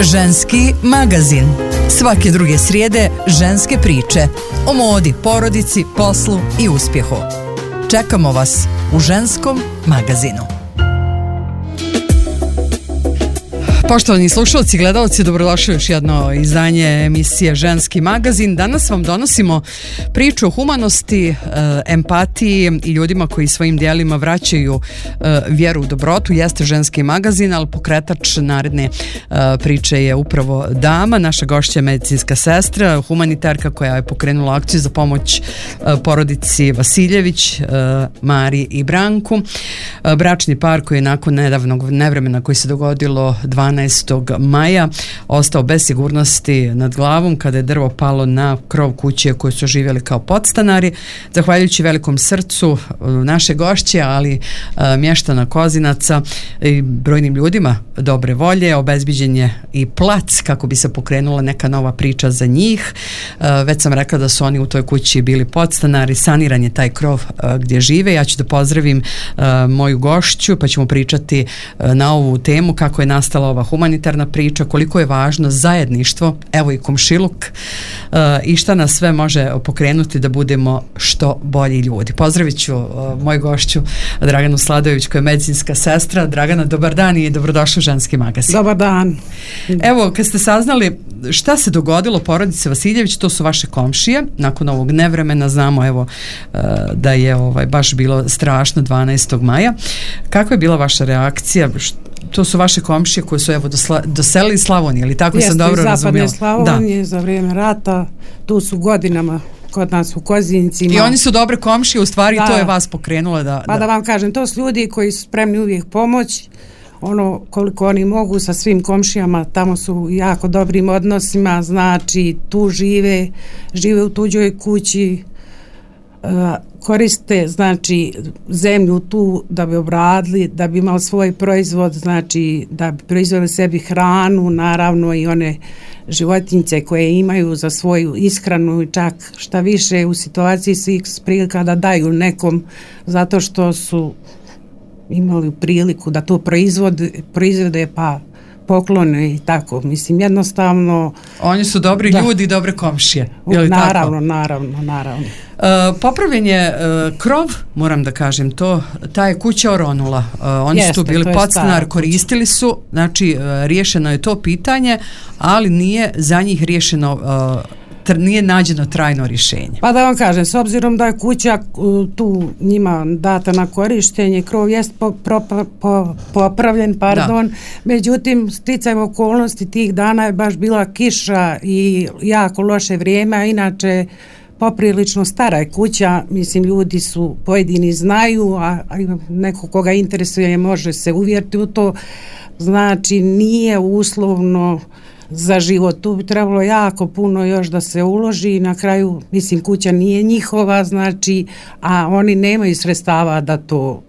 Ženski magazin. Svake druge srijede ženske priče o modi, porodici, poslu i uspjehu. Čekamo vas u Ženskom magazinu. Poštovani slušalci i gledalci, dobrodošli u još jedno izdanje emisije Ženski magazin. Danas vam donosimo priču o humanosti, empatiji i ljudima koji svojim dijelima vraćaju vjeru u dobrotu. Jeste Ženski magazin, ali pokretač naredne priče je upravo dama. Naša gošća je medicinska sestra, humanitarka koja je pokrenula akciju za pomoć porodici Vasiljević, Mari i Branku. Bračni par koji je nakon nedavnog nevremena koji se dogodilo 12. maja ostao bez sigurnosti nad glavom kada je drvo palo na krov kuće koju su živjeli kao podstanari. Zahvaljujući velikom srcu naše gošće, ali mještana Kozinaca i brojnim ljudima dobre volje, obezbiđen je i plac kako bi se pokrenula neka nova priča za njih. Već sam rekla da su oni u toj kući bili podstanari, saniran je taj krov gdje žive. Ja ću da pozdravim moju gošću pa ćemo pričati na ovu temu kako je nastala ova humanitarna priča, koliko je važno zajedništvo, evo i komšiluk, i šta nas sve može pokrenuti da budemo što bolji ljudi. Pozdravit ću moju gošću Draganu Sladojević koja je medicinska sestra. Dragana, dobar dan i dobrodošla u Ženski magazin. Dobar dan. Evo, kad ste saznali šta se dogodilo porodice Vasiljević, to su vaše komšije. Nakon ovog nevremena znamo evo da je baš bilo strašno 12. maja. Kakva je bila vaša reakcija? To su vaše komšije koje su evo doselili iz Slavonije, ali tako sam dobro razumjela? Jeste, iz zapadne Slavonije za vrijeme rata, tu su godinama kod nas u Kozincima. I oni su dobre komšije, u stvari to je vas pokrenulo da... Pa da vam kažem, to su ljudi koji su spremni uvijek pomoć, koliko oni mogu sa svim komšijama, tamo su jako dobrim odnosima, znači tu žive u tuđoj kući, koriste znači zemlju tu da bi obradili, da bi imali svoj proizvod, znači da bi proizveli sebi hranu, naravno i one životinjice koje imaju za svoju ishranu i čak šta više u situaciji svih prilika da daju nekom zato što su imali priliku da to proizvode pa poklone i tako, mislim jednostavno oni su dobri ljudi i dobre komšije. Naravno. Popravljen je krov, moram da kažem to, ta je kuća oronula. Oni su tu bili podstanar, koristili su, znači riješeno je to pitanje, ali nije za njih riješeno, nije nađeno trajno rješenje. Pa da vam kažem, s obzirom da je kuća tu njima data na korištenje, krov jest popravljen, međutim sticajem okolnosti tih dana je baš bila kiša i jako loše vrijeme, a inače poprilično stara je kuća, mislim ljudi su pojedini znaju, a neko koga interesuje može se uvjeriti u to, znači nije uslovno za život, tu bi trebalo jako puno još da se uloži i na kraju, mislim, kuća nije njihova, znači, a oni nemaju sredstava da to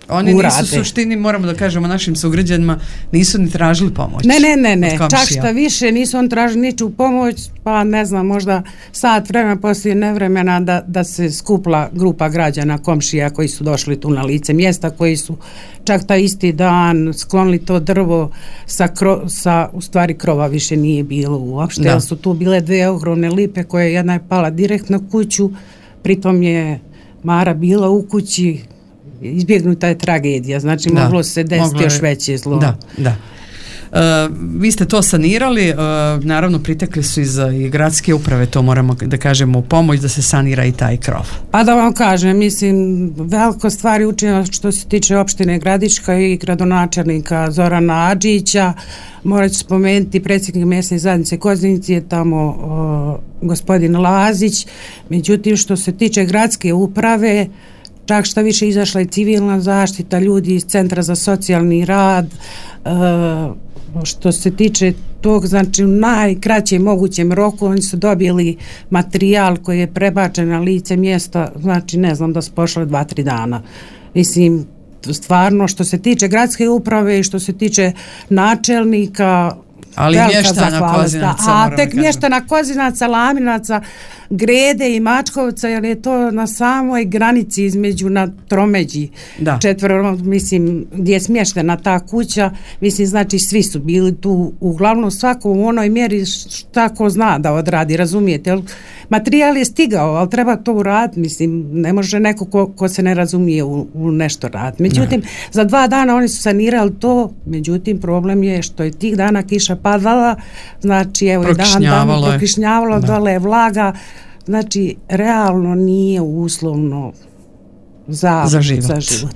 oni urade. Nisu suštini, moramo da kažemo našim sugrađanima, nisu ni tražili pomoć. Ne, čak šta više nisu on tražili niču pomoć, pa ne znam, možda sat vremena poslije nevremena da se skupla grupa građana, komšija koji su došli tu na lice mjesta, koji su čak taj isti dan sklonili to drvo sa u stvari krova više nije bilo uopšte, jer su tu bile dvije ogromne lipe koje jedna je pala direktno na kuću, pritom je Mara bila u kući, izbjegnuta je tragedija, znači moglo se desiti još veće zlo. Da. Vi ste to sanirali, naravno pritekli su i gradske uprave, to moramo da kažemo u pomoć da se sanira i taj krov. Pa da vam kažem, mislim, veliko stvari učinjeno što se tiče opštine Gradiška i gradonačelnika Zorana Adžića, morat ću spomenuti predsjednik mjesne zajednice Kozinici je tamo gospodin Lazić, međutim što se tiče gradske uprave, čak šta više izašla i civilna zaštita, ljudi iz Centra za socijalni rad, što se tiče tog, znači u najkraćem mogućem roku oni su dobili materijal koji je prebačen na lice mjesta, znači ne znam da su pošle 2-3 dana. Mislim, stvarno što se tiče gradske uprave i što se tiče načelnika, Ali mještana Kozinaca, a tek mještana Kozinaca, Laminaca, Grede i Mačkovca, jer je to na samoj granici između na tromeđi četvero, mislim, gdje je smještena ta kuća, mislim, znači svi su bili tu, uglavnom svako u onoj mjeri šta ko zna da odradi, razumijete, jer materijal je stigao, ali treba to uraditi, mislim, ne može neko ko se ne razumije u nešto raditi. Međutim, za 2 dana oni su sanirali to, međutim, problem je što je tih dana kiša padala, znači, evo i dan prokišnjavalo, dole je vlaga, znači, realno nije uslovno za život.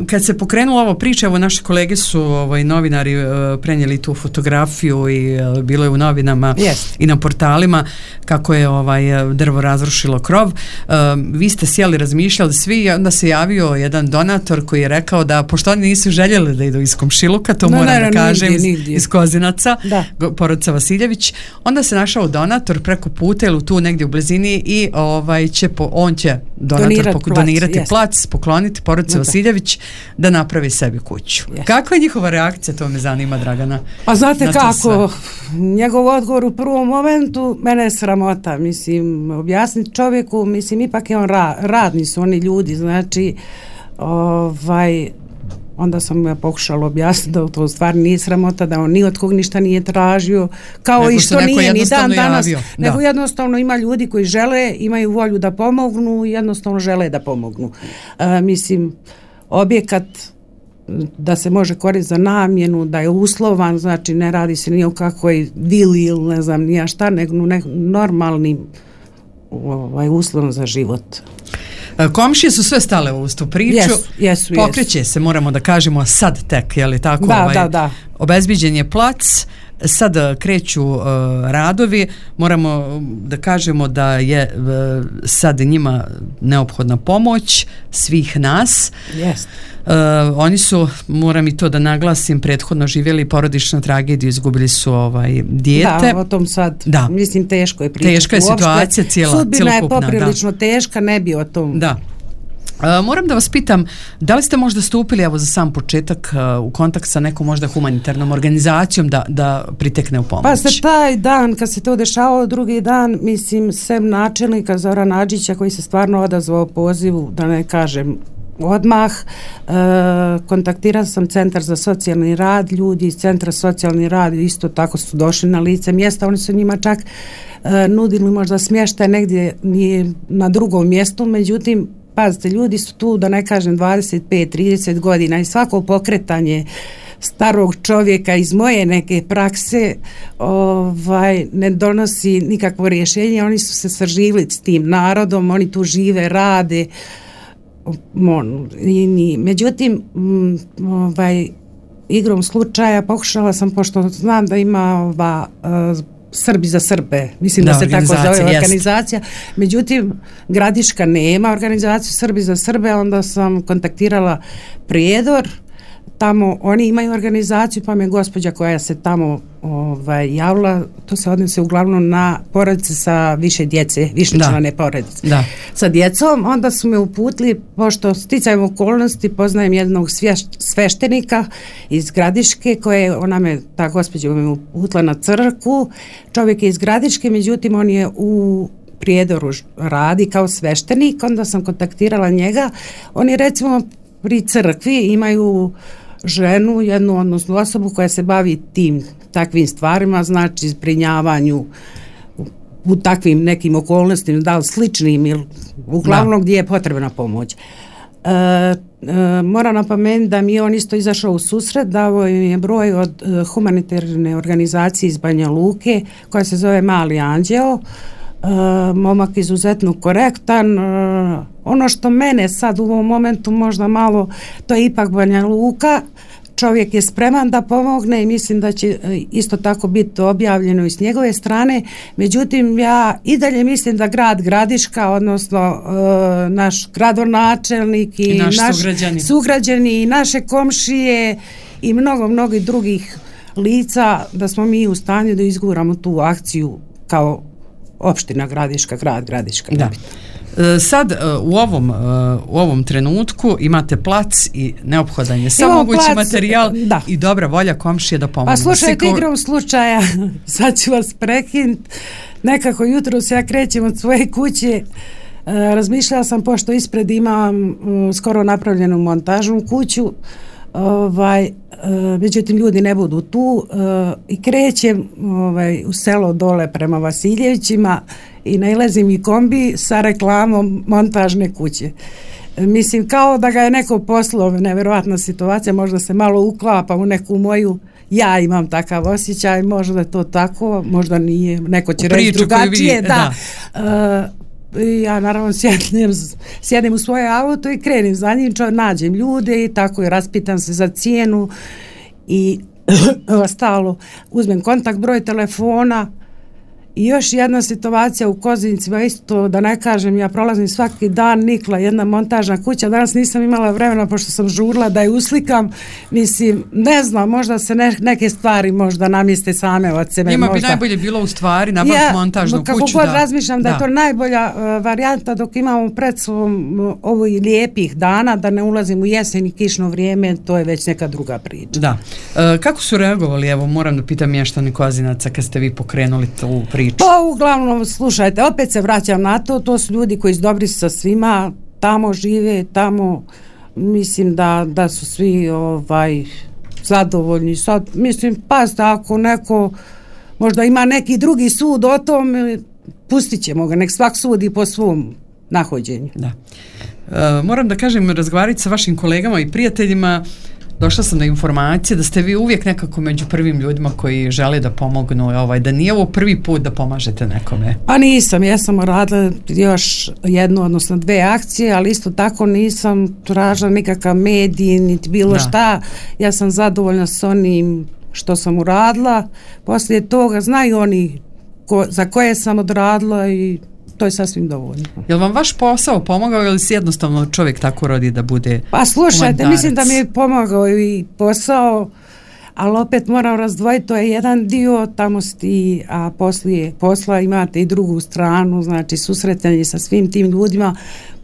Kad se pokrenula ova priča, evo naši kolege su novinari prenijeli tu fotografiju i bilo je u novinama i na portalima kako je drvo razrušilo krov. Vi ste sjeli, razmišljali svi i onda se javio jedan donator koji je rekao da pošto oni nisu željeli da idu iz komšiluka, to moram da kažem, iz Kozinaca, porodica Vasiljević, onda se našao donator preko puta ili tu negdje u blizini i on će donirati plac, pokloniti porodici Vasiljević da napravi sebi kuću. Kakva je njihova reakcija, to me zanima, Dragana? Pa znate kako, njegov odgovor u prvom momentu, mene je sramota, mislim, objasniti čovjeku, mislim, ipak je on radni su oni ljudi, znači, onda sam ja pokušala objasniti da to u stvari nije sramota, da on ni od kog ništa nije tražio, kao nego i što nije ni dan danas, nego jednostavno ima ljudi koji žele, imaju volju da pomognu, jednostavno žele da pomognu. Mislim, objekat da se može koristiti za namjenu, da je uslovan, znači ne radi se ni o kakvoj vili ili ne znam nija šta, nego normalnim uslovom za život. Komšije su sve stale u tu priču. Jesu. Pokreće se, moramo da kažemo, sad tek, je li tako? Da. Obezbiđen je plac, sad kreću radovi, moramo da kažemo da je sad njima neophodna pomoć svih nas. Oni su, moram i to da naglasim, prethodno živjeli porodičnu tragediju, izgubili su dijete. Da, o tom sad, mislim, teško je pričati. Teška je situacija celokupna. Sudbina je poprilično teška, ne bi o tom. Da. Moram da vas pitam, da li ste možda stupili, evo za sam početak, u kontakt sa nekom možda humanitarnom organizacijom da pritekne u pomoć? Pa se taj dan, kad se to dešavao, drugi dan, mislim, sem načelnika Zorana Adžića, koji se stvarno odazvao pozivu, da ne kažem odmah, kontaktirala sam Centar za socijalni rad, ljudi iz Centra socijalni rad isto tako su došli na lice mjesta, oni su njima čak nudili možda smještaj negdje na drugom mjestu, međutim, pazite, ljudi su tu, da ne kažem, 25-30 godina i svako pokretanje starog čovjeka iz moje neke prakse ne donosi nikakvo rješenje, oni su se saživili s tim narodom, oni tu žive, rade, međutim, igrom slučaja pokušala sam, pošto znam da ima Srbi za Srbe, mislim da se tako zove organizacija, međutim Gradiška nema organizaciju Srbi za Srbe, onda sam kontaktirala Prijedor, tamo oni imaju organizaciju, pa me gospođa koja se tamo javila, to se odnose uglavnom na porodice sa više djece, višečlane porodice sa djecom, onda su me uputili, pošto sticajem okolnosti poznajem jednog sveštenika iz Gradiške, ta gospođa me uputila na crkvu, čovjek je iz Gradiške, međutim on je u Prijedoru radi kao sveštenik, onda sam kontaktirala njega, oni recimo pri crkvi imaju ženu, jednu odnosnu osobu koja se bavi takvim stvarima, znači zbrinjavanju u takvim nekim okolnostima, da li sličnim ili uglavnom gdje je potrebna pomoć. Moram napomenuti da mi je on isto izašao u susret, dao je broj od humanitarne organizacije iz Banja Luke koja se zove Mali Anđeo, momak izuzetno korektan. Ono što mene sad u ovom momentu možda malo, to je ipak Banja Luka, čovjek je spreman da pomogne i mislim da će isto tako biti objavljeno i s njegove strane, međutim ja i dalje mislim da grad Gradiška, odnosno naš gradonačelnik i naš sugrađani i naše komšije i mnogo drugih lica, da smo mi u stanju da izguramo tu akciju kao opština Gradiška, grad Gradiška. Sad u ovom trenutku imate plac i neophodan je samo mogući materijal i dobra volja komšije da pomogu. Pa slušajte, igrom slučaja, sad ću vas prekinuti, nekako jutros ja krećem od svoje kuće, razmišljala sam, pošto ispred imam skoro napravljenu montažnu kuću, međutim ljudi ne budu tu, i krećem u selo dole prema Vasiljevićima i nailazim i kombi sa reklamom montažne kuće. Mislim, kao da ga je neko poslao, nevjerovatna situacija, možda se malo uklapa u neku moju, ja imam takav osjećaj, možda je to tako, možda nije, neko će reći drugačije, da. Ja naravno sjedim u svoje auto i krenim za njim, nađem ljude i tako i raspitam se za cijenu i ostalo, uzmem kontakt, broj telefona. I još jedna situacija u Kozincima, isto da ne kažem, ja prolazim svaki dan, nikla jedna montažna kuća, danas nisam imala vremena pošto sam žurla da je uslikam, mislim, ne znam, možda se neke stvari možda namjeste same od sebe. Njima bi najbolje bilo u stvari nabaviti montažnu kuću. Kako god razmišljam da je to najbolja varijanta dok imamo pred sobom ovih lijepih dana, da ne ulazim u jesen i kišno vrijeme, to je već neka druga priča. Da. Kako su reagovali, evo moram da pitam mještani Kozinaca kad ste vi pokrenuli tu priču? Pa uglavnom, slušajte, opet se vraćam na to su ljudi koji su dobri sa svima, tamo žive, tamo mislim da su svi zadovoljni. Sad, mislim, pazite, ako neko možda ima neki drugi sud o tom, pustit ćemo ga, nek svak sudi po svom nahođenju. Da. Moram da kažem, razgovarati sa vašim kolegama i prijateljima, došla sam do informacije da ste vi uvijek nekako među prvim ljudima koji žele da pomognu, da nije ovo prvi put da pomažete nekome. Pa nisam, ja sam radila još jednu, odnosno 2 akcije, ali isto tako nisam tražila nikakav medij, niti bilo šta. Ja sam zadovoljna s onim što sam uradila. Poslije toga znaju oni za koje sam odradila i to je sasvim dovoljno. Je li vam vaš posao pomogao ili si jednostavno čovjek tako rodi da bude Pa slušajte, mislim da mi je pomogao i posao, ali opet moram razdvojiti, to je jedan dio, tamo sti, a poslije posla imate i drugu stranu, znači susretanje sa svim tim ljudima,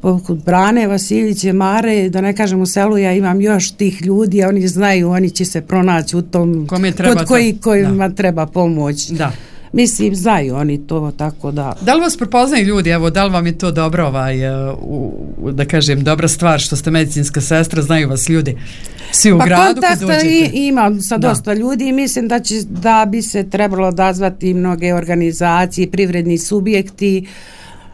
poput Brane, Vasiljiće, Mare, da ne kažem u selu, ja imam još tih ljudi, a oni znaju, oni će se pronaći u tom kod kojima treba pomoć. Da. Mislim, znaju oni to, tako da... Da li vas prepoznaju ljudi, evo, da li vam je to dobro, da kažem, dobra stvar što ste medicinska sestra, znaju vas ljudi svi u gradu kad dođete? Kontakta imam sa dosta ljudi i mislim da bi se trebalo odazvati mnoge organizacije, privredni subjekti,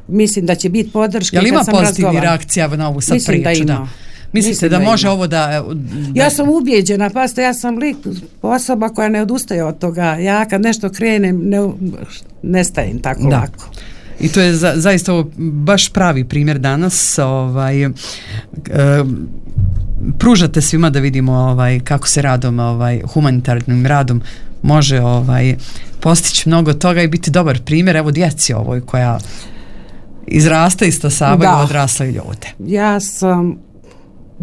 mislim da će biti podrške. Jel ima pozitivni reakcija na ovu sad priču? Mislim da ima. Mislite da može ovo da... Ja sam ubijeđena, pazite, ja sam osoba koja ne odustaje od toga. Ja kad nešto krenem, ne stajem tako lako. I to je zaista ovo baš pravi primjer danas. Pružate svima da vidimo kako se radom, humanitarnim radom može postići mnogo toga i biti dobar primjer. Evo djeci ovoj koja izrasta i stasavaju odrasle ljude.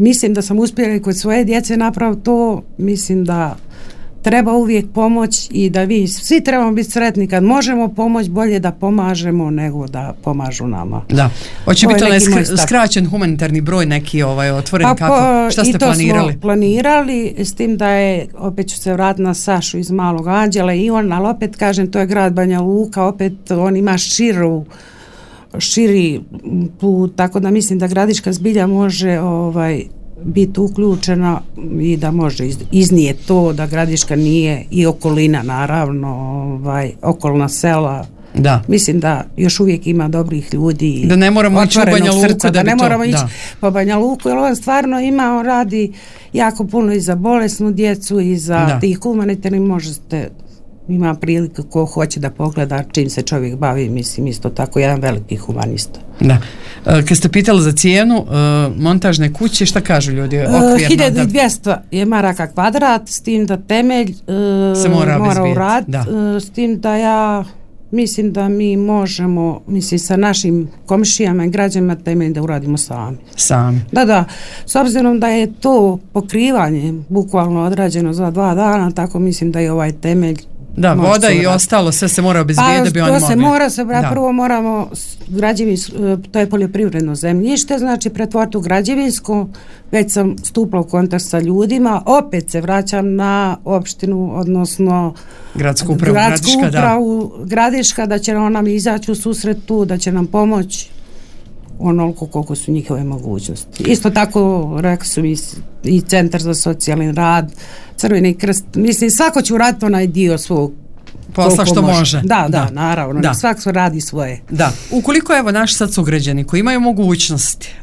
Mislim da sam uspjela i kod svoje djece napraviti to, mislim da treba uvijek pomoć i da svi trebamo biti sretni kad možemo pomoć, bolje da pomažemo nego da pomažu nama. Da, hoće biti onaj skraćen humanitarni broj neki otvoren, šta ste planirali? I to smo planirali, s tim da je, opet ću se vratiti na Sašu iz Malog Anđela i ali opet kažem, to je grad Banja Luka, opet on ima širi put, tako da mislim da Gradiška zbilja može biti uključena i da može iznijeti to da Gradiška nije i okolina naravno, okolna sela. Da. Mislim da još uvijek ima dobrih ljudi, da ne moramo ići u Banja Luku, da ne moramo ići po Banja Luku, jer on stvarno on radi jako puno i za bolesnu djecu i za tih humanitarnih, možete, ima prilike ko hoće da pogleda čim se čovjek bavi, mislim isto tako jedan veliki humanista. Da. Kad ste pitali za cijenu montažne kuće, šta kažu ljudi? 1200 je maraka kvadrat, s tim da temelj se mora uraditi, s tim da ja mislim da mi možemo, mislim sa našim komšijama i građanima temelj da uradimo sami. Da, s obzirom da je to pokrivanje bukvalno odrađeno za 2 dana, tako mislim da je ovaj temelj Da, voda i ostalo, sve se mora obezbijediti da bi oni mogli. To se mora se, prvo moramo to je poljoprivredno zemljište, znači pretvoriti u građevinsko, već sam stupila u kontakt sa ljudima, opet se vraćam na opštinu, odnosno gradsku upravu Gradiška, da će ona mi izaći u susret tu, da će nam pomoći onoliko koliko su njihove mogućnosti. Isto tako rekli su mi i Centar za socijalni rad, Crveni krst, mislim svako će uraditi onaj dio svog posla što može. Da, naravno, da. Svako radi svoje. Da, ukoliko evo naši sad sugrađani koji imaju mogućnosti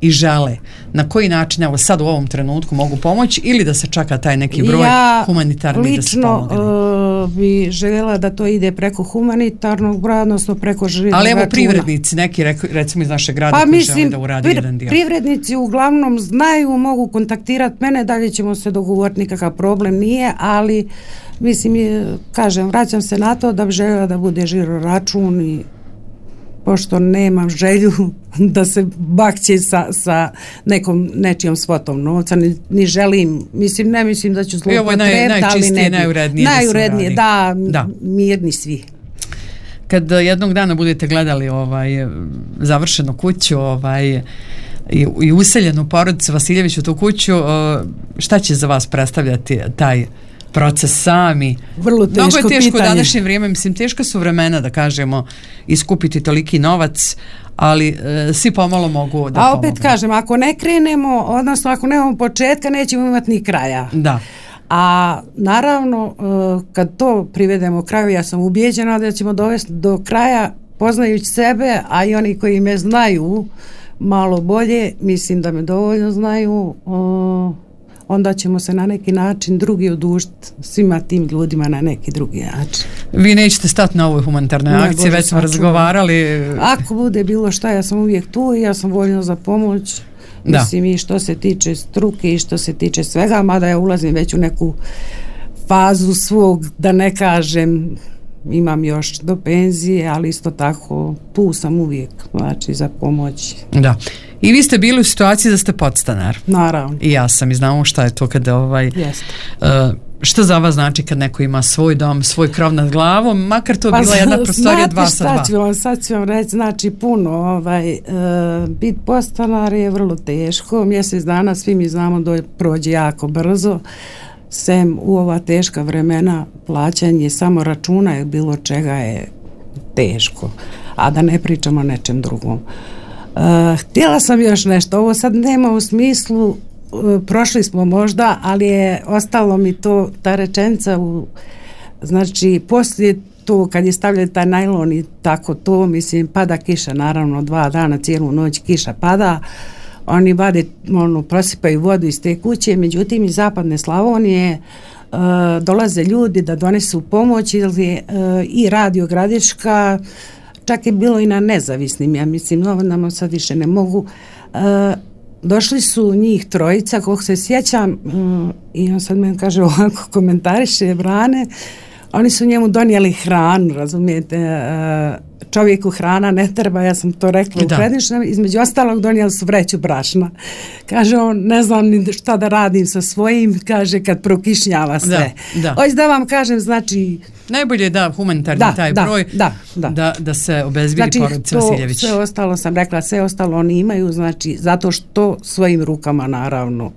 i žele, na koji način evo sad u ovom trenutku mogu pomoći ili da se čaka taj neki broj humanitarni da se pomogne? Ja lično bi željela da to ide preko humanitarnog broja, odnosno preko živnog računa. Ali evo računa. Privrednici, neki recimo iz našeg grada koji žele da uradi jedan dio. Privrednici uglavnom znaju, mogu kontaktirati mene, dalje ćemo se dogovoriti, nikakav problem nije, ali mislim, kažem, vraćam se na to da bi željela da bude žiro račun i pošto nemam želju da se bakće sa nečijom svotom novca, ni želim, ne mislim da ću zloupotrebiti, ali ne bi. Najurednije, da, mirni svi. Kad jednog dana budete gledali završenu kuću i useljenu porodicu Vasiljević u tu kuću, šta će za vas predstavljati taj proces sami? Vrlo teško Mnogo je teško pitanje. U današnje vrijeme, mislim, teška su vremena da kažemo iskupiti toliki novac, ali svi pomalo mogu da pomogu. A opet kažem, ako ne krenemo, odnosno ako nemamo početka, nećemo imati ni kraja. Da. A naravno, kad to privedemo kraju, ja sam ubijeđena da ćemo dovesti do kraja, poznajući sebe, a i oni koji me znaju malo bolje, mislim da me dovoljno znaju, onda ćemo se na neki način drugi odužiti svima tim ljudima na neki drugi način. Vi nećete stati na ovoj humanitarnoj akciji, već smo razgovarali. Ako bude bilo šta, ja sam uvijek tu i ja sam voljna za pomoć. Mislim, i što se tiče struke i što se tiče svega, mada ja ulazim već u neku fazu svog, da ne kažem, imam još do penzije, ali isto tako tu sam uvijek, znači, za pomoć. Da. I vi ste bili u situaciji da ste podstanar. Naravno. I ja sam, i znamo šta je to kada što za vas znači kad neko ima svoj dom, svoj krov nad glavom, makar to bila jedna prostorija 2 sa 2. Sad ću vam reći, znači puno, biti podstanar je vrlo teško, mjesec dana svi mi znamo da prođe jako brzo, sem u ova teška vremena plaćanje samo računa je bilo čega je teško, a da ne pričamo o nečem drugom. Htjela sam još nešto, ovo sad nema u smislu, prošli smo možda, ali je ostalo mi to, ta rečenica, znači poslije to kad je stavljaju taj najlon i tako to, mislim, pada kiša, naravno 2 dana, cijelu noć kiša pada, oni vade, prosipaju vodu iz te kuće, međutim iz zapadne Slavonije dolaze ljudi da donesu pomoć i Radio Gradiška, čak je bilo i na nezavisnim, ja mislim, novinama sad više ne mogu. Došli su njih 3, koliko se sjećam, i on sad meni kaže ovako, komentariše Brane, oni su njemu donijeli hranu, razumijete, čovjeku hrana ne treba, ja sam to rekla u predničnom, između ostalog donijeli su vreću brašna. Kaže on, ne znam ni šta da radim sa svojim, kaže kad prokišnjava sve. Hoće da vam kažem, znači... Najbolje je da humanitarni taj broj, da se obezbiri porodica Vasiljević. Sve ostalo sam rekla, sve ostalo oni imaju, znači zato što svojim rukama naravno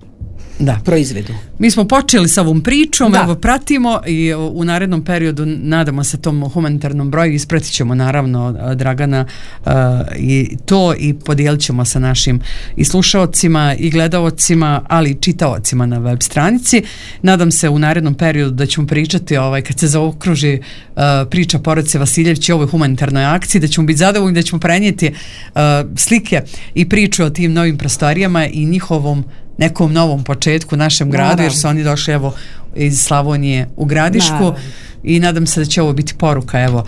proizvedu. Mi smo počeli sa ovom pričom, evo pratimo i u narednom periodu nadamo se tom humanitarnom broju, ispratit ćemo naravno Dragana i to i podijelit ćemo sa našim i slušaocima i gledaocima, ali i čitaocima na web stranici. Nadam se u narednom periodu da ćemo pričati kad se zaokruži priča porodice Vasiljević i ovoj humanitarnoj akciji, da ćemo biti zadovoljni, da ćemo prenijeti slike i priču o tim novim prostorijama i njihovom nekom novom početku u našem gradu, jer su oni došli evo iz Slavonije u Gradišku i nadam se da će ovo biti poruka evo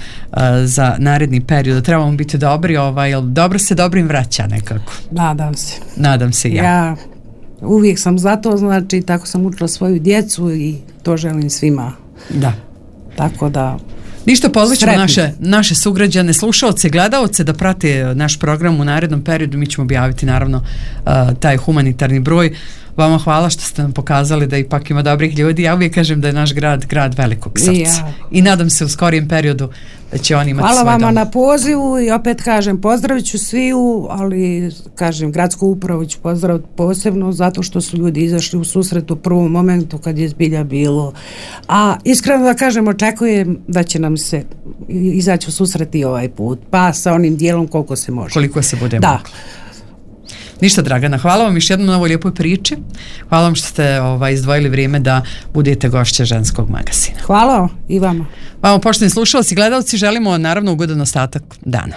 za naredni period, da trebamo biti dobri, jer dobro se dobrim vraća nekako. Nadam se ja uvijek sam za to, znači tako sam učila svoju djecu i to želim svima. Tako da ništa, pozvaćemo naše sugrađane, slušaoce, gledaoce da prate naš program u narednom periodu. Mi ćemo objaviti naravno taj humanitarni broj. Vama hvala što ste nam pokazali da ipak ima dobrih ljudi. Ja uvijek kažem da je naš grad velikog srca. I nadam se u skorijem periodu da će on imati hvala svoj dom. Hvala vama na pozivu i opet kažem pozdravit ću sviju, ali kažem gradsku upravu ću pozdraviti posebno zato što su ljudi izašli u susret u prvom momentu kad je zbilja bilo. A iskreno da kažem očekujem da će nam se izaći u susret i ovaj put, pa sa onim dijelom koliko se može. Koliko se bude moglo. Ništa, Dragana, hvala vam još jednom na ovoj lijepoj priči. Hvala vam što ste izdvojili vrijeme da budete gošće Ženskog magazina. Hvala i vama. Vama, poštovani slušalci i gledalci, želimo naravno ugodan ostatak dana.